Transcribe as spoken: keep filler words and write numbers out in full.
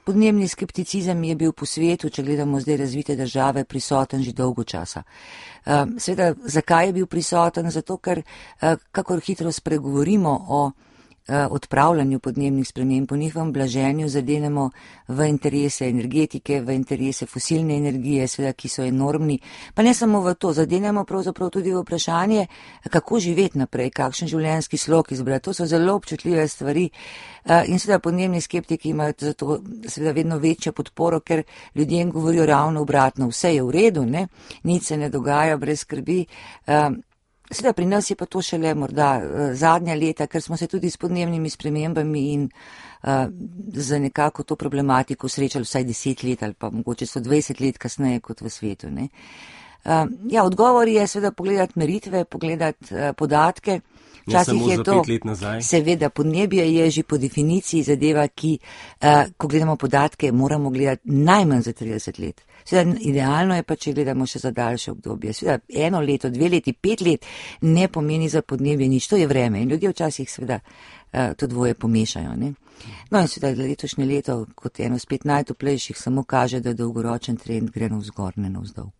podnebni skepticizem je bil po svetu, če gledamo zdaj razvite države, prisoten že dolgo časa. Seveda, zakaj je bil prisoten? Zato, ker kakor hitro spregovorimo o odpravljanju podnebnih sprememb, po njihovem blaženju zadenemo v interese energetike, v interese fosilne energije, seveda, ki so enormni, pa ne samo v to, zadenemo pravzaprav tudi v vprašanje, kako živeti naprej, kakšen življenjski slog izbrati. To so zelo občutljive stvari in seveda podnebni skeptiki imajo zato seveda vedno večjo podporo, ker ljudem govorijo ravno obratno, vse je v redu, ne, nič se ne dogaja brez skrbi. Seveda pri nas je pa to šele morda uh, zadnja leta, ker smo se tudi s podnebnimi spremembami in uh, za nekako to problematiko srečali vsaj deset let ali pa mogoče so dvajset let kasneje kot v svetu. Ne. Uh, ja, odgovor je seveda pogledati meritve, pogledati uh, podatke. Včasih je to, seveda, podnebje je že po definiciji zadeva, ki, uh, ko gledamo podatke, moramo gledati najmanj za trideset let. Seveda, idealno je pa, če gledamo še za daljše obdobje. Seveda, eno leto, dve leti, pet let ne pomeni za podnebje nič, to je vreme in ljudje včasih seveda uh, to dvoje pomešajo. Ne? No in seveda, letošnje leto kot eno spet najtoplejših samo kaže, da dolgoročen trend gre navzgor, ne navzdol.